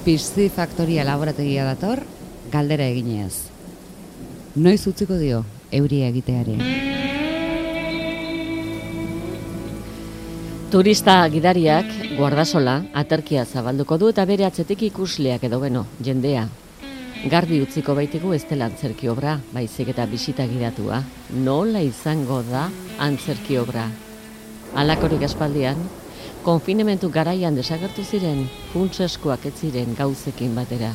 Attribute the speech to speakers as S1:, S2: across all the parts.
S1: Piscifactoria laborategia dator, galdera eginez. Noiz utziko dio euria egiteari?
S2: Turista gidariak guardasola aterkia zabalduko du eta bere atzetik ikusleak edo jendea. Garbi utziko baitigu ez dela antzerki obra, baizik eta bisita gidatua. Nola izango da antzerki obra? Halakorik aspaldian, konfinementu garaian desagertu ziren, funtseskoak ez ziren gauzekin batera.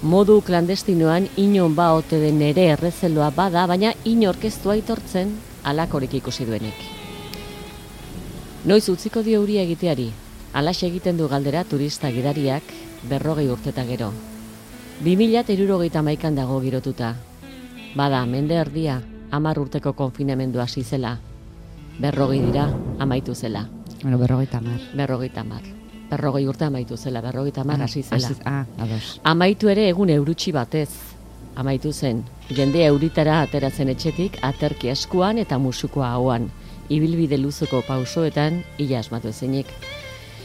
S2: Modu klandestinoan inon ba ote den ere errezeloa bada, baina inork ez du aitortzen halakorik ikusi duenik. Noiz utziko dio euria egiteari, halaxe egiten du galdera turista gidariak 40 urteta gero. 2071an dago girotuta. Bada, mende erdia, 10 urteko konfinamendu hasi zela. 40 dira, amaitu zela.
S1: Bueno, 50.
S2: 40 urte amaitu zela, 50 hasi zela.
S1: Ados.
S2: Amaitu ere egun eurutsi batez. Amaitu zen, jende euritara ateratzen etxetik, aterki eskuan eta musukoa hauan. Ibilbide luzuko pausoetan, ila asmatu ezinik.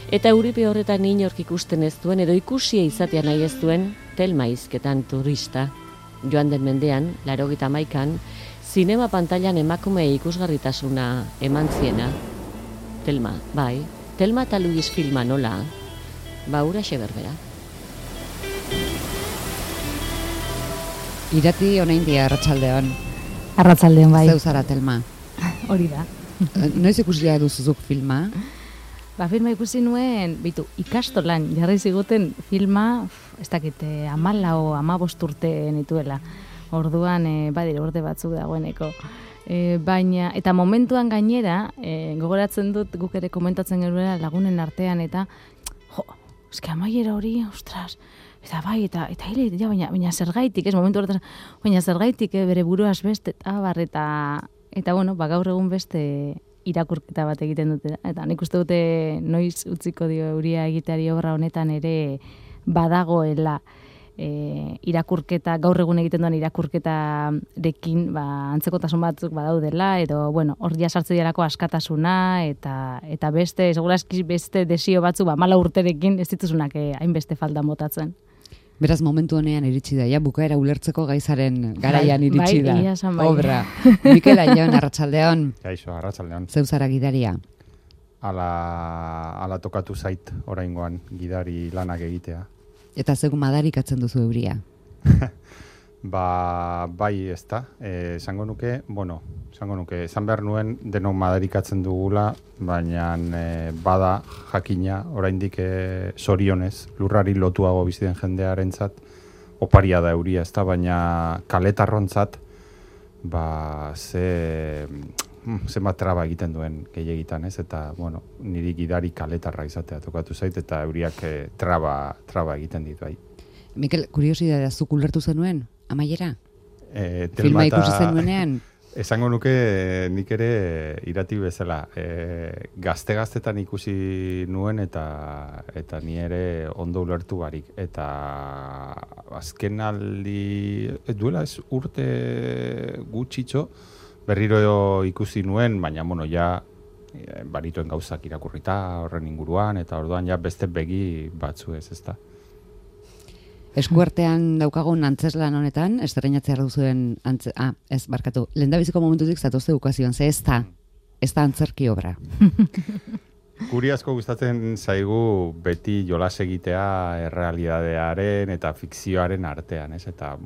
S2: Eta euripe horretan inork ikusten ez duen, edo ikusia izatea nahi ez duen, Telma hizketan turista. Joan den mendean, 81an, zinema pantailan emakume ikusgarritasuna eman ziena. Telma, bai. Telma eta Luis filma nola. Huraxe berbera.
S1: Irati oraindik arratsaldeon.
S3: Arratsaldeon bai.
S1: Zeu zara Telma.
S3: Hori da.
S1: Noiz ikusia duzuzuk filma?
S3: Filma ikusi nuen, ikastolan jarri ziguten filma, ez dakit, 14 o 15 urte nituela. Orduan, badire urte batzuk dagoeneko. Baina, eta momentuan gainera, gogoratzen dut guk ere komentatzen genuela lagunen artean, eta, eske amaiera hori, ostras, eta bai, eta hile, ja, baina zergaitik, momentu horretan, baina zergaitik, bere buruaz beste, eta bueno, gaur egun beste irakurketa bat egiten dute. Eta nik uste dute noiz utziko dio euria egiteari obra honetan ere badagoela irakurketa, gaur egun egiten duen irakurketarekin antzekotasun batzuk badaudela, edo, hor jasartze dialako askatasuna, eta beste, segurazki beste desio batzuk, 14 urterekin ez dituzunak hainbeste faldan botatzen.
S1: Beraz, momentu honean iritsi da, bukaera ulertzeko gaizaren garaian iritsi da.
S3: Bai.
S1: Obra. Mikel Aion, arratsaldeon.
S4: Kaixo, arratsaldeon.
S1: Zeu zara gidaria?
S4: Ala tokatu zait oraingoan gidari lanak egitea.
S1: Eta zeu madarikatzen duzu euria?
S4: Bai, ez da. Esango nuke, esan behar nuen denok madarikatzen dugula, baina bada jakina, oraindik zorionez, lurrari lotuago bizi den jendearentzat, oparia da euria, ez da, baina kaletarrontzat, zenbat traba egiten duen gehiegitan, ez? Eta, niri gidari kaletarra izatea tokatu zait, eta euriak traba egiten ditu, bai.
S1: Mikel, kuriosidadea, zuk ulertu zenuen, amaiera?
S4: Filma
S1: Filma ikusi zenuenean?
S4: Esango nuke nik ere irati bezala. Gazte-gaztetan ikusi nuen eta ni ere ondo ulertu barik. Eta azken aldi, duela ez urte gutxitxo, berriro ikusi nuen, baina ja barituen gauzak irakurrita horren inguruan, eta orduan ja beste begi batzu ez da.
S1: Eskuartean daukagun antzeslan honetan, estreinatzea duzuen lehendabiziko momentutik zatozte ukazioan, ze ez da antzerki obra.
S4: Guri asko gustatzen zaigu beti jolas egitea errealidadearen eta fikzioaren artean, ez? Eta,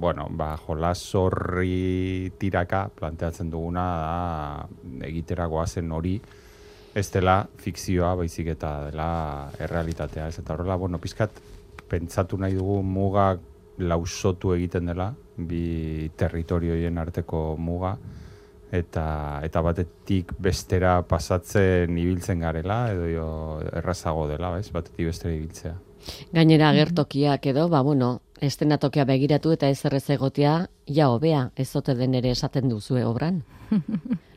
S4: jolas horri tiraka planteatzen duguna da egiteragoa zen hori, ez dela fikzioa, baizik eta dela errealitatea, ez? Eta horrela, pizkat, pentsatu nahi dugu muga lausotu egiten dela, bi territorioien arteko muga, eta batetik bestera pasatzen ibiltzen garela, edo errazago dela, batetik bestera ibiltzea.
S2: Gainera agertokiak edo, estenatokia begiratu eta ez errez egotea, hobea, ez ote den ere esaten duzue obran.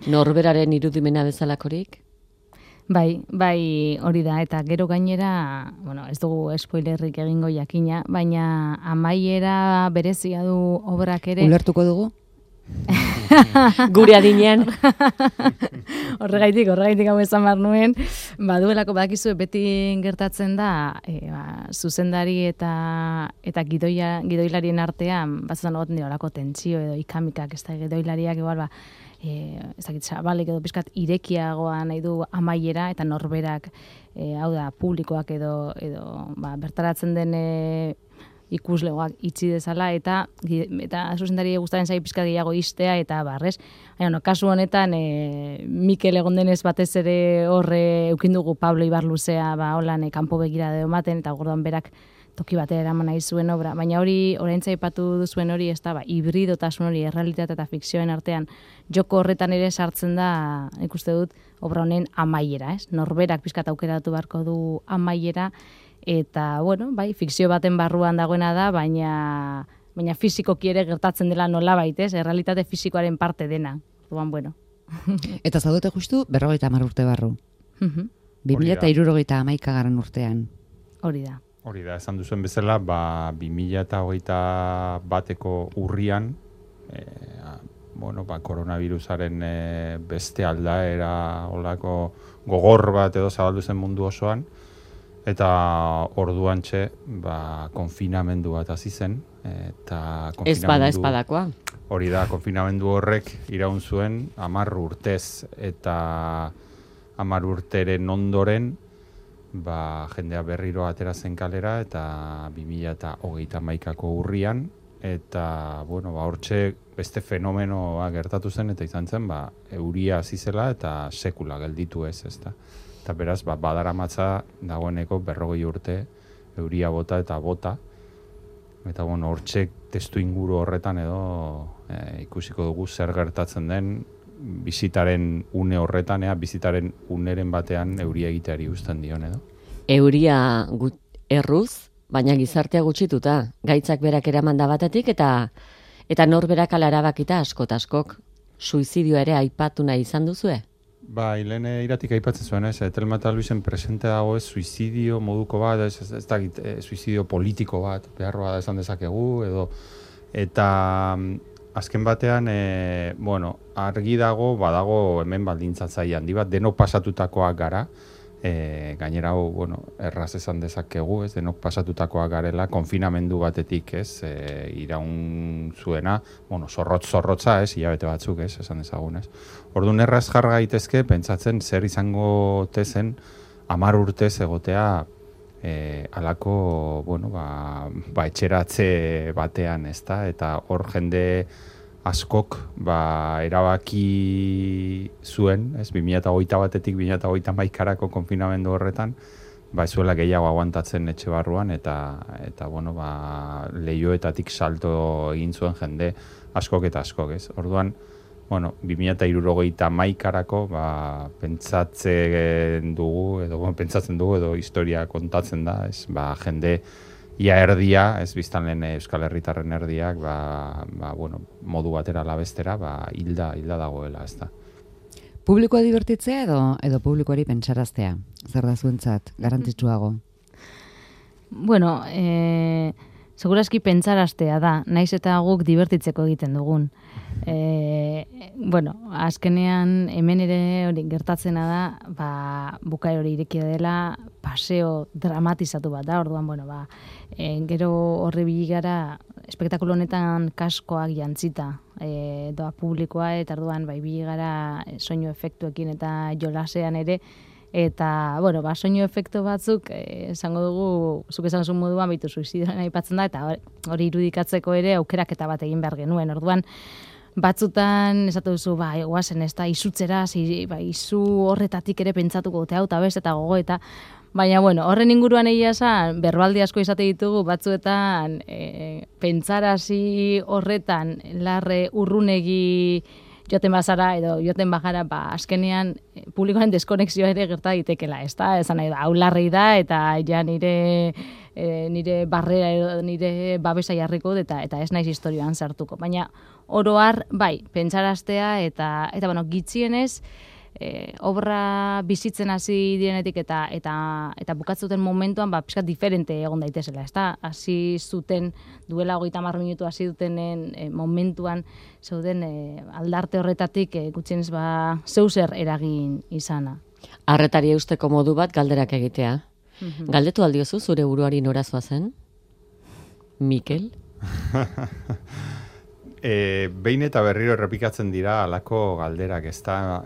S2: Norberaren irudimena bezalakorik?
S3: Bai, hori da, eta gero gainera, ez dugu spoilerrik egingo jakina, baina amaiera berezia du obrak ere.
S1: Ulertuko dugu?
S2: Gure adinean.
S3: Horregaitik hau esan behar nuen, baduelako badakizu beti gertatzen da, zuzendari eta gidoilarien artean, batzutan egoten dira olako tentsio edo ikamikak, ez da gidoilariak igual, ez dakit, zabalik edo pizkat irekiagoa nahi du amaiera, eta norberak, hau da, publikoak edo bertaratzen den ikuslegoak itxi dezala, eta zuzendari gustaren zai pizkat gehiago istea, eta barrez. Kasu honetan, Mikel egon denez batez ere horre eukindugu Pablo Ibarluzea, holan kanpo begira edo ematen, eta gordoan berak toki batera eraman nahi zuen obra. Baina hori, oraintza aipatu duzuen hori, ez da, hibridotasun hori, errealitate eta fikzioen artean, joko horretan ere sartzen da, ikuste dut, obra honen amaiera, ez? Norberak pizkat aukeratu beharko du amaiera, eta, bueno, bai, fikzio baten barruan dagoena da, baina fizikoki ere gertatzen dela nolabait, ez? Errealitate fizikoaren parte dena. Orduan, bueno.
S1: Eta zaudete justu 50 urte barru. 2071 urtean.
S3: Hori da.
S4: Hori da, esan duzuen bezala, 2021ko urrian, koronavirusaren beste aldaera olako gogor bat edo zabaldu zen mundu osoan, eta orduantxe konfinamendu bat hasi zen, eta
S2: Ez badakoa.
S4: Hori da, konfinamendu horrek iraun zuen 10 urtez, eta 10 urteren ondoren jendea berriro atera zen kalera, eta 2021ko urrian, eta hortxe beste fenomenoa gertatu zen, eta izan zen euria hasi zela eta sekula gelditu ez da. Eta beraz, badaramatza dagoeneko 40 urte euria bota eta bota. Eta hortxe testu inguru horretan edo ikusiko dugu zer gertatzen den bizitaren une horretan, bizitaren uneren batean euria egiteari uzten dion edo.
S2: Euria erruz, baina gizartea gutxituta, gaitzak berak eramanda batetik eta norberak ala erabakita askok. Suizidioa ere aipatu nahi izan duzue?
S4: Lehen iratik aipatzen zuen, Telma eta Luisen presente dago suizidio moduko bat, ez dakit, suizidio politiko bat, beharroa da esan dezakegu, edo, eta azken batean, argi dago, badago hemen baldintzatzaile handi bat, denok pasatutakoak gara, gainera erraz esan dezakegu, denok pasatutakoak garela, konfinamendu batetik, iraun zuena, zorrotza, hilabete batzuk, esan dezagun, Orduan erraz jarra gaitezke, pentsatzen zer izango tezen 10 urtez egotea alako, etxeratze batean, ezta? Eta hor jende askok erabaki zuen, 2021 batetik 2021ko konfinamendu horretan, ez zuela gehiago aguantatzen etxe barruan, eta lehioetatik salto egin zuen jende askok eta askok, Orduan, 2071ko pentsatzen dugu edo historia kontatzen da, jende ia erdia, biztan lehen Euskal Herritarren erdiak, modu batera labestera, hilda dagoela, ez da.
S1: Publikoa divertitzea edo publikoari pentsaraztea? Zer da zuentzat, garrantzitsuago?
S3: Segurazki pentsaraztea da, naiz eta guk divertitzeko egiten dugun. Azkenean hemen ere hori gertatzena da, bukaera hori irekia dela, paseo dramatizatu bat da, orduan, gero horri biligara, espektakulo honetan kaskoak jantzita doa publikoa, eta orduan, biligara soinu efektuekin eta jolasean ere, eta, soinu efektu batzuk, esango dugu, zuk esan zuen moduan, suizidioan aipatzen da, eta hori irudikatzeko ere aukeraketa bat egin behar genuen. Orduan, batzutan, esatu duzu, guazen, ez da, izutzera, izu horretatik ere pentsatuko dute hau, eta bez, eta gogo, eta baina, horren inguruan egia esan, berbaldi asko izate ditugu, batzuetan, pentsarazi horretan, larre urrunegi joten bazara, edo joten bajara, azkenean, publikoaren deskonexioa ere gerta ditekela, ez da, esan nahi da, hau larrei da, eta ja nire barrera edo nire babesa jarriko, eta ez naiz historioan sartuko. Baina, oro har, pentsaraztea, eta gitxienez, obra bizitzen hasi direnetik eta bukatzuten momentuan pixkat diferente egon daitezela, ezta? Hasi zuten duela 30 minutu hasi dutenen momentuan zeuden aldarte horretatik gutxienez zeu zer eragin izana.
S2: Arretari eusteko modu bat galderak egitea. Galdetu aldiozu zure buruari norazoa zen? Mikel?
S4: Behin eta berriro errepikatzen dira alako galderak, ezta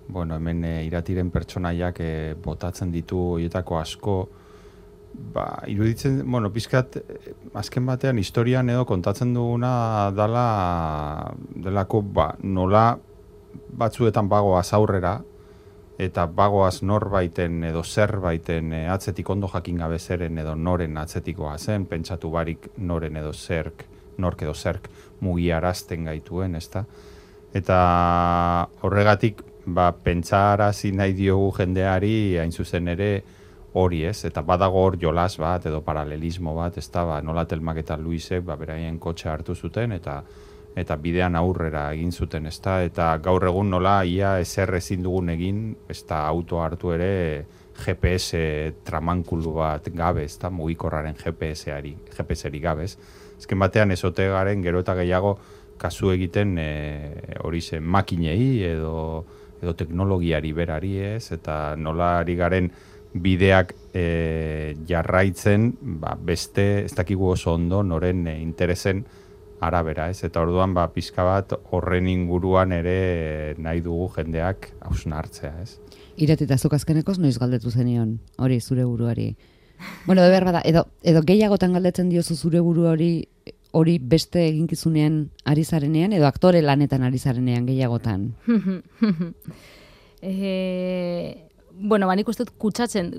S4: hemen iratiren pertsonaiak botatzen ditu horietako asko, iruditzen, pizkat, azken batean historian edo kontatzen duguna delako, nola batzuetan bagoaz aurrera, eta bagoaz norbaiten edo zerbaiten atzetik ondo jakin gabe zeren edo noren atzetikoa zen, pentsatu barik noren edo nork edo zerk mugiarazten gaituen, ezta? Eta horregatik, pentsarazi nahi diogu jendeari hain zuzen ere hori, ez? Eta badago hor jolas bat edo paralelismo bat, ezta? Nola Telmak eta Luisek beraien kotxe hartu zuten eta bidean aurrera egin zuten, ezta? Eta gaur egun nola ia ezer ezin dugun egin, ezta auto hartu ere GPS tramankulu bat gabe, ezta? Mugikorraren GPS-eri gabe, ez? Ezken batean ezote garen gero eta gehiago kasu egiten hori zen makinei edo teknologiari berari, ez? Eta nola ari garen bideak jarraitzen beste ez dakigu oso ondo noren interesen arabera, ez? Eta orduan pizka bat horren inguruan ere nahi dugu jendeak hausnartzea, ez?
S1: Iratita zuk azkenekoz noiz galdetu zenion hori zure buruari? Bueno, de behar bada, edo gehiagotan galdetzen diozu zure buru hori beste eginkizunean ari zarenean, edo aktore lanetan ari zarenean gehiagotan?
S3: Nik uste dut kutsatzen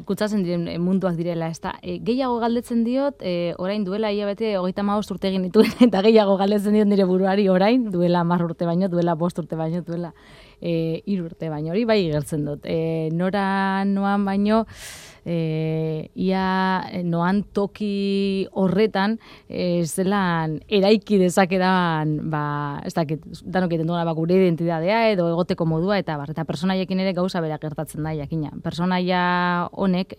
S3: diren munduak direla, ezta. Gehiago galdetzen diot, orain duela hilabete 35 urte egin dituen, eta gehiago galdetzen diot nire buruari orain, duela 10 urte baino, duela 5 urte baino, duela 3 urte baino, hori bai gertzen dut. Nora noan baino, ia noan toki horretan zelan eraiki dezakedan ez dakit, danok egiten duena gure identidadea edo egoteko modua eta personaiekin ere gauza bera gertatzen da jakina. Personaia honek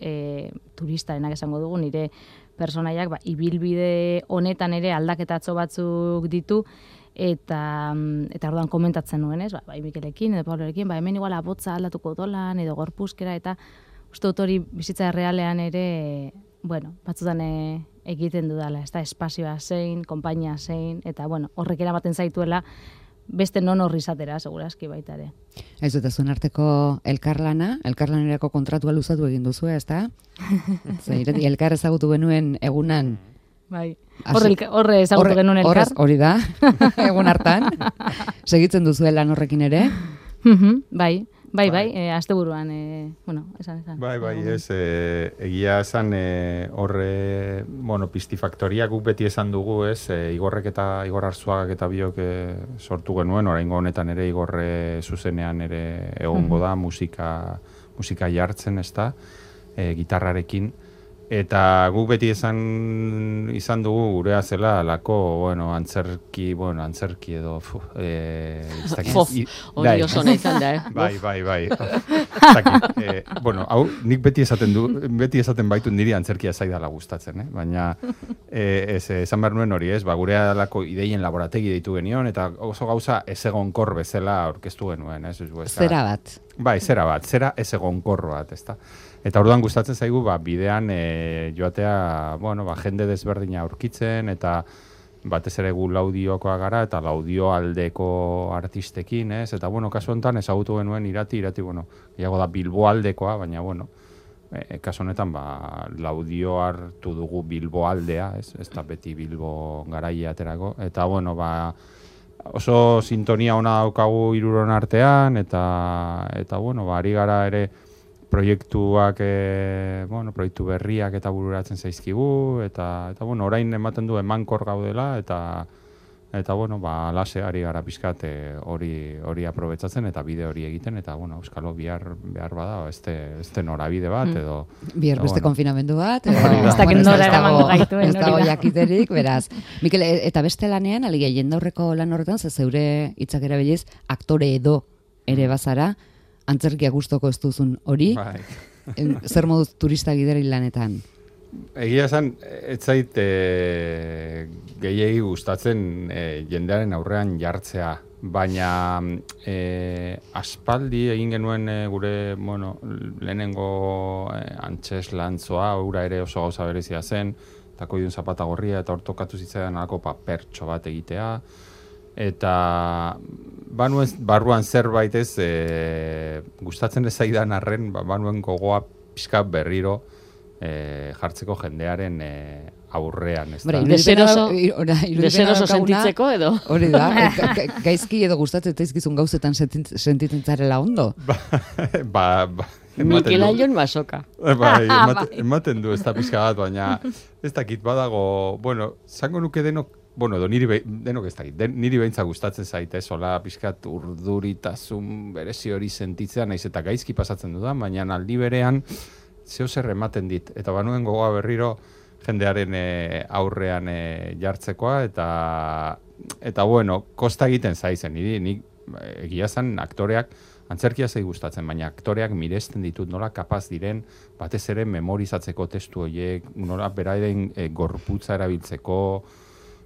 S3: turistarenak esango dugu, nire personaiak ibilbide honetan ere aldaketatxo batzuk ditu eta orduan komentatzen nuen, ez? Mikelekin edo Pablorekin, hemen igual abotza aldatuko dolan edo gorpuzkera eta uste dut hori bizitza realean ere, batzutan egiten dudala, ez da, espazioa zein, konpainia zein, eta horrek eramaten zaituela beste non horri izatera, segurazki baita ere.
S1: Ez dut, zuen arteko elkarlanerako kontratua luzatu egin duzu, ez da? Elkar ezagutu genuen egunan.
S3: Bai, horre ezagutu genuen elkar.
S1: Hori da, egun hartan. Segitzen duzuela horrekin ere.
S3: Bai, asteburuan, esan.
S4: Bai, ez, egia esan horre, Pistifaktoria guk beti esan dugu, ez, Igor Arzuagak eta biok sortu genuen, oraingo honetan ere Igorre zuzenean ere egongo da, musika jartzen, ez da, gitarrarekin. Eta guk beti izan dugu gurea zela alako, antzerki edo...
S2: Hori oso nahi izan da,
S4: Bai. Hau, nik beti esaten baitu niri antzerkia zaidala gustatzen, baina esan behar nuen hori, ez? Gurea alako ideien laborategi deitu genion, eta oso gauza ez egonkor bezala aurkeztu genuen, ez?
S1: Zera bat.
S4: Bai, zera ez egonkor bat, ez da? Eta orduan gustatzen zaigu, bidean joatea, jende desberdina aurkitzen, eta batez ere gu laudiokoa gara, eta laudio aldeko artistekin, ez? Eta, kasu honetan ezagutu genuen irati, gehiago da Bilbo aldekoa, baina, kasu honetan, laudio hartu dugu Bilbo aldea, ez da beti Bilbo garaia aterako, eta, oso sintonia ona daukagu hiruron artean, eta ari gara ere, proiektuak, proiektu berriak eta bururatzen zaizkigu, eta orain ematen du emankor gaudela, eta lase ari gara pixkat hori aprobetsatzen eta bide hori egiten, eta euskalo behar bada, este norabide bat, edo...
S1: Bihar beste konfinamendu bat, edo...
S3: Ez dakit nora eramango gaituen,
S1: ez dago jakiterik, beraz. Mikel, eta beste lanean, jendaurreko lan horretan, zeure hitzak erabiliz, aktore edo ere bazara, antzerkia gustoko ez duzun hori,
S4: Bai.
S1: zer moduz turista gideri lanetan?
S4: Egia esan, ez zait gehiegi gustatzen jendearen aurrean jartzea, baina aspaldi egin genuen gure, lehenengo antxes lantzoa, ura ere oso gauza berezia zen, tako idun zapata gorria, eta hor tokatu zitzaidan alako papertxo bat egitea, eta barruan zerbait ez gustatzen ez zaidan arren, banuen gogoa pixka berriro jartzeko jendearen aurrean.
S2: Deseroso sentitzeko edo?
S1: Hori da, gaizki edo gustatzen zaizkizun gauzetan sentitzen zarela ondo.
S2: Mikel Aion masoka.
S4: Ematen du ez da pixka bat, baina ez dakit badago, zango nuke denok, denok ez dakit, niri behintza gustatzen zaite, sola pixkat urduritasun berezi hori sentitzea, naiz eta gaizki pasatzen dudan, baina aldi berean zeo zer ematen dit, eta banuen gogoa berriro jendearen aurrean jartzekoa, eta kosta egiten zaizen, nik egia zen aktoreak, antzerkia zei gustatzen, baina aktoreak miresten ditut nola kapaz diren, batez ere memorizatzeko testu horiek, nola beraiden gorputza erabiltzeko,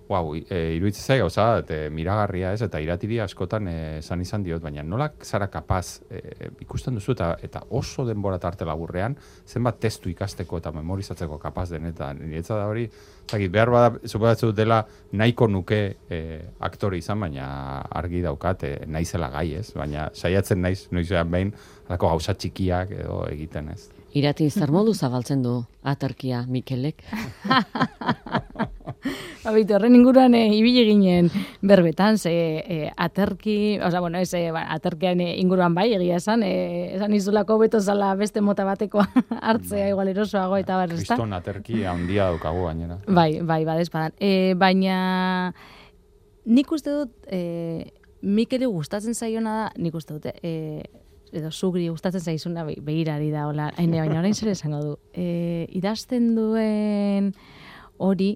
S4: iruditzen zai gauza, miragarria ez, eta iratiri askotan izan diot, baina nola zara kapaz ikusten duzu eta oso denbora tarte laburrean, zenbat testu ikasteko eta memorizatzeko kapaz denetan. Niretza da hori, behar bada, suposatzen dela nahiko nuke aktore izan, baina argi daukat naizela gai ez, baina saiatzen naiz, noizean behin, alako gauza txikiak edo egiten ez.
S2: Irati zer modu zabaltzen du aterkia Mikelek?
S3: Abito, horren inguruan ibili ginen berbetan, aterki, aterkian inguruan bai, egia esan izulako beto zala beste mota bateko hartzea, igual erosoago eta bar, ezta?
S4: Kriston aterki handia daukagu gainera.
S3: Bai, badezpadan. Baina nik uste dut, Mikeli gustatzen zaiona da, nik uste dut, edo sugri gustatzen zaizuna begirari da, baina orain zer esango du. Idazten duen hori,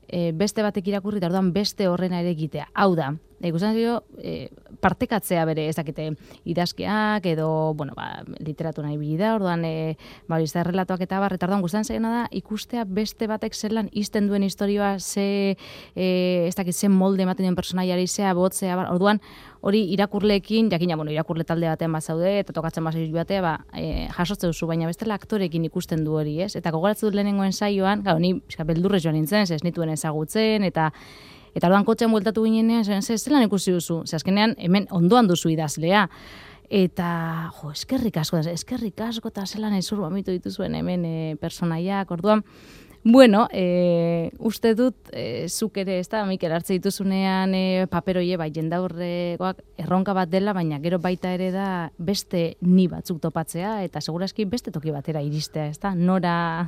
S3: beste batek irakurri eta orduan beste horrena ere egitea. Hau da, ikusten zaio partekatzea bere ezakite idazkiak edo, literatura ibili da, orduan izan relatoak eta bar, eta orduan gustatzen zaiona da ikustea beste batek zelan izten duen historioa, ze molde ematen duen personaiari, zea botzea, orduan hori irakurleekin, jakina, irakurle talde batean bazaude, eta tokatzen bazaiz batea, jasotzen duzu, baina bestela aktorekin ikusten du hori, ez? Eta gogoratzen dut lehenengoen saioan, ni beldurrez joan nintzen, ez nituen ezagutzen, eta orduan kotxean bueltatu ginenean, zelan ikusi duzu, azkenean hemen ondoan duzu idazlea, eta eskerrik asko, eta zelan ezur bamitu dituzuen hemen personaiak, orduan, uste dut, zuk ere, ez da, Mikel, hartze dituzunean paperoie, jendaurrekoak erronka bat dela, baina gero baita ere da beste ni batzuk topatzea, eta segurazki beste toki batera iristea, ez da, nora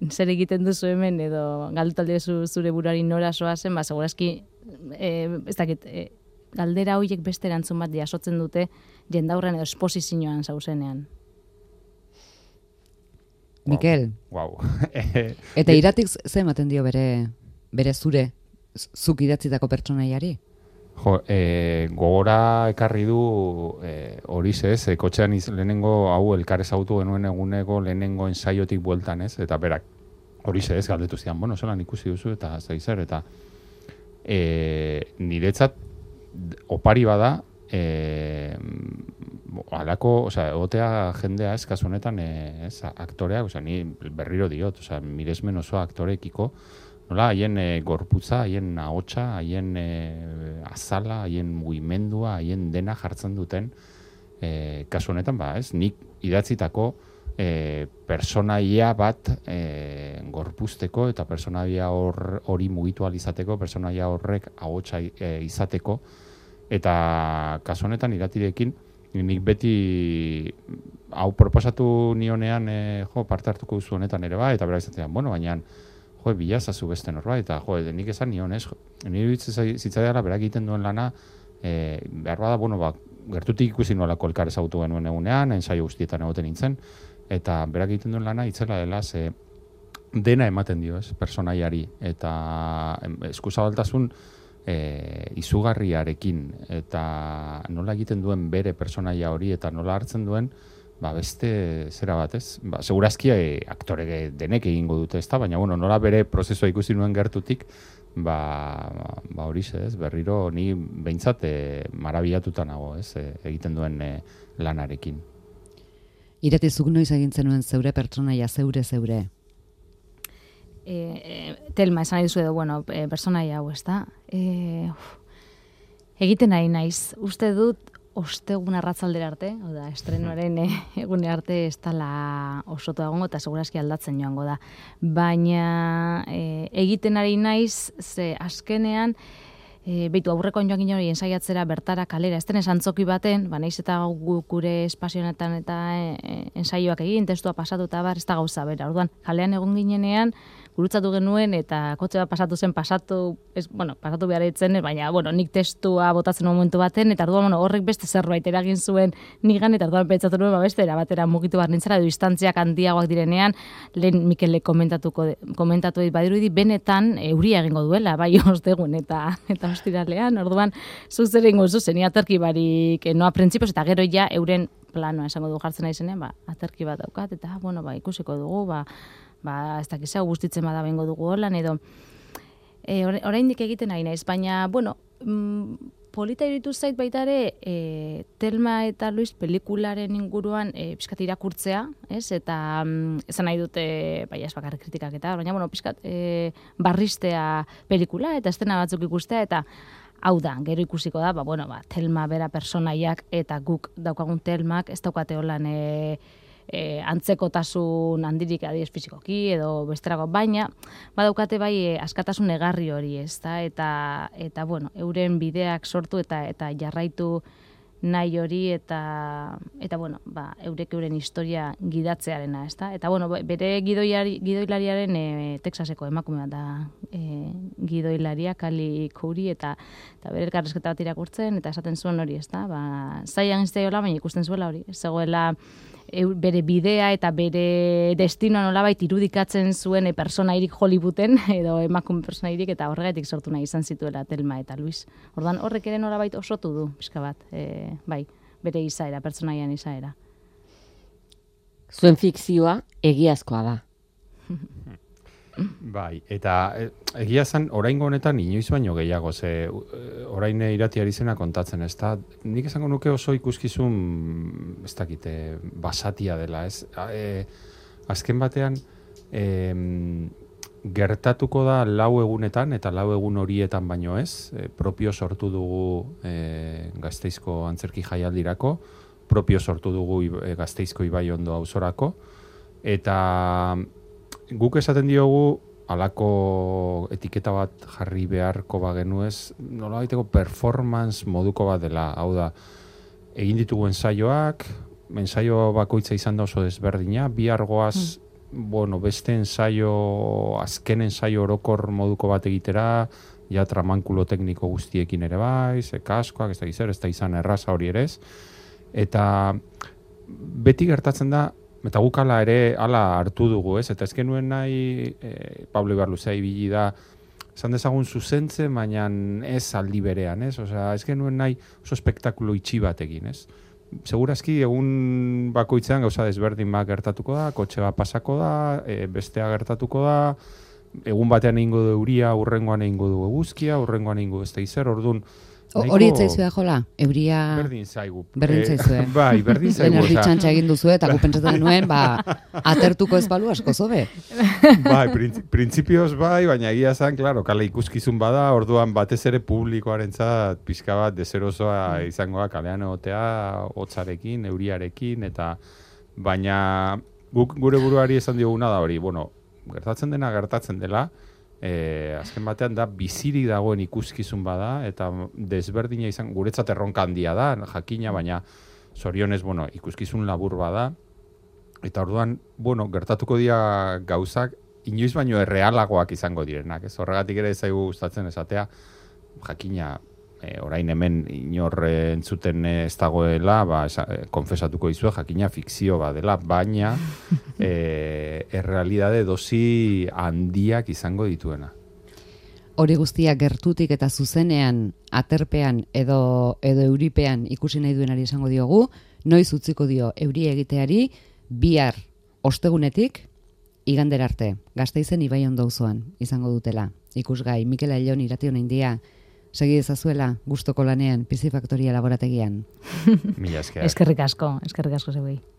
S3: zer egiten duzu hemen, edo galdutalde zure burari nora soazen, segurazki, ez dakit, galdera horiek beste erantzun bat jasotzen dute jendaurren edo esposizioan zauzenean.
S1: Mikel, eta Iratik ze ematen dio bere zure, zuk idatzitako pertsonaiari?
S4: Gogora ekarri du hori ez, kotxean lehenengo hau elkar ezagutu genuen eguneko lehenengo ensaiotik bueltan ez, eta berak hori ez galdetu zidan, zelan ikusi duzu eta zaizer, eta niretzat opari bada, alako, egotea jendea ez, kasu honetan, aktoreak, ni berriro diot, miresmen oso aktorekiko, nola, haien gorputza, haien ahotsa, haien azala, haien mugimendua, haien dena jartzen duten, kasu honetan, nik idatzitako personaia bat gorpuzteko eta personaia hori mugitu alizateko, personaia horrek ahotsa izateko, eta kasu honetan iratirekin, nik beti hau proposatu nionean parte hartuko duzu honetan ere eta berak izatean, baina bilazazu beste norbait, eta nik esan nion ez, nire zitzaidara berak egiten duen lana, behar bada, gertutik ikusi nolako elkar ezagutu genuen egunean, ensaio guztietan egoten nintzen, eta berak egiten duen lana itzela dela, dena ematen dio, personaiari, eta eskuzabaltasun izugarriarekin, eta nola egiten duen bere personaia hori, eta nola hartzen duen, beste zera bat, ez? Segurazki aktore denek egingo dute, ez da? Baina, nola bere prozesua ikusi nuen gertutik, horixe, ez? Berriro, ni behintzat marabilatuta nago, ez? Egiten duen lanarekin.
S1: Irati, zuk noiz egintzen nuen zeure pertsonaia, zeure?
S3: Telma, esan nahi duzu edo, personaia hau, ez da? Egiten nahi naiz. Uste dut, ostegun arratzaldera arte, oda, estrenuaren egune arte ez dela osoto egongo eta segurazki aldatzen joango da. Baina egiten ari naiz, ze azkenean, beitu aurrekoan joan ginen hori ensaiatzera bertara kalera, ez denez antzoki baten, naiz eta gure espazionetan eta ensaioak egin, testua pasatu eta ez da gauza bera. Orduan, kalean egon ginenean, gurutzatu genuen eta kotxe bat pasatu behar ditzen, baina, nik testua botatzen momentu baten, eta orduan, horrek beste zerbait eragin zuen nigan, eta orduan pentsatu nuen, beste erabatera mugitu behar nintzara, distantziak handiagoak direnean, lehen Mikele komentatu badirudi, benetan euria egingo duela, bai ostegun eta ostiralean, orduan, zuk zer egingo zuzen, aterki barik, noa printzipioz, eta gero ja euren planoa esango du jartzen nahi zenean, aterki bat daukat, eta, ikusiko dugu, ez dakiz hau gustitzen bada bengo dugu holan, edo oraindik egiten nahi naiz, baina, polita iritu zait baita ere, Telma eta Luis pelikularen inguruan pixkat irakurtzea, ez? Eta esan nahi dute, ez bakarrik kritikak eta, baina, pixkat barristea pelikula eta estena batzuk ikustea, eta hau da, gero ikusiko da, Telma bera personaiak eta guk daukagun Telmak ez daukate holan antzekotasun handirik adiez fizikoki edo besterako, baina badaukate bai askatasun egarri hori, ez da, eta euren bideak sortu eta jarraitu nahi hori eta eurek euren historia gidatzearena, ez da, eta bere gidoilariaren Texaseko emakume bat da gidoilaria, Kali Kouri, eta bere elkarrezketa bat irakurtzen, eta esaten zuen hori, ez da, zaian izteiola, baina ikusten zuela hori, zegoela bere bidea eta bere destinoa nolabait irudikatzen zuen personairik Hollywooden edo emakume personairik, eta horregatik sortu nahi izan zituela Telma eta Luis. Orduan horrek ere nolabait osotu du, pixka bat, bere izaera, pertsonaian izaera.
S2: Zuen fikzioa egiazkoa da.
S4: Bai, eta egia zen, oraingo honetan inoiz baino gehiago, ze orain Irati ari zena kontatzen, ez da, nik esango nuke oso ikuskizun, ez dakite, basatia dela, ez? Azken batean, gertatuko da 4 egunetan, eta 4 egun horietan baino ez, propio sortu dugu Gasteizko antzerki jaialdirako, propio sortu dugu Gasteizko Ibaiondo auzorako, eta guk esaten diogu halako etiketa bat jarri beharko bagenu ez, nolabaiteko performance moduko bat dela, hau da, egin ditugu ensaioak, ensaio bakoitza izan da oso desberdina, bihargoaz, beste ensaio, azken ensaio orokor moduko bat egitera, ja tramankulo tekniko guztiekin ere bai, kaskoak, ez da izan erraza hori ere ez, eta beti gertatzen da, eta guk ala ere, ala hartu dugu, ez? Eta ez genuen nahi, Pablo Ibarluzea ibili da, esan dezagun zuzentzen, baina ez aldi berean, ez? Osea, ez genuen nahi oso espektakulo itxi bat egin, ez? Segurazki, egun bakoitzean gauza desberdin bat gertatuko da, kotxe bat pasako da, bestea gertatuko da, egun batean egingo du euria, urrengoan egingo du eguzkia, urrengoan egingo beste izer, orduan,
S1: hori etzaizue jola, euria...
S4: Berdin zaigu.
S1: Berdin zaizue.
S4: Bai, berdin zaigu.
S1: Energi txantxa egin duzu eta gupentsatzen nuen, atertuko ez balu asko zobe.
S4: Bai, printzipioz bai, baina egia zan, klaro, kale ikuskizun bada, orduan batez ere publikoarentzat pixka bat deserosoa izangoa kalean egotea, hotzarekin, euriarekin, eta baina gure buruari esan dioguna da hori, gertatzen dela, azken batean da bizirik dagoen ikuskizun bada eta desberdina izan guretzat erronka handia da, jakina, baina zorionez, ikuskizun labur bada eta orduan, gertatuko dira gauzak inoiz baino errealagoak izango direnak, ez horregatik ere zaigu gustatzen esatea, jakina orain hemen inorre entzuten ez dagoela, konfesatuko dizue, jakina fikzio badela, baina errealidade dosi handiak izango dituena.
S1: hori guztia gertutik eta zuzenean, aterpean edo euripean ikusi nahi duenari esango diogu, noiz utziko dio euri egiteari, bihar ostegunetik, igandera arte, Gasteizen Ibai Ondauzoan izango dutela. Ikusgai, Mikel Ailon Irration India, segi dezazuela gustoko lanean Piscifactoria laborategian.
S4: Mila esker.
S3: Eskerrik asko zeuei.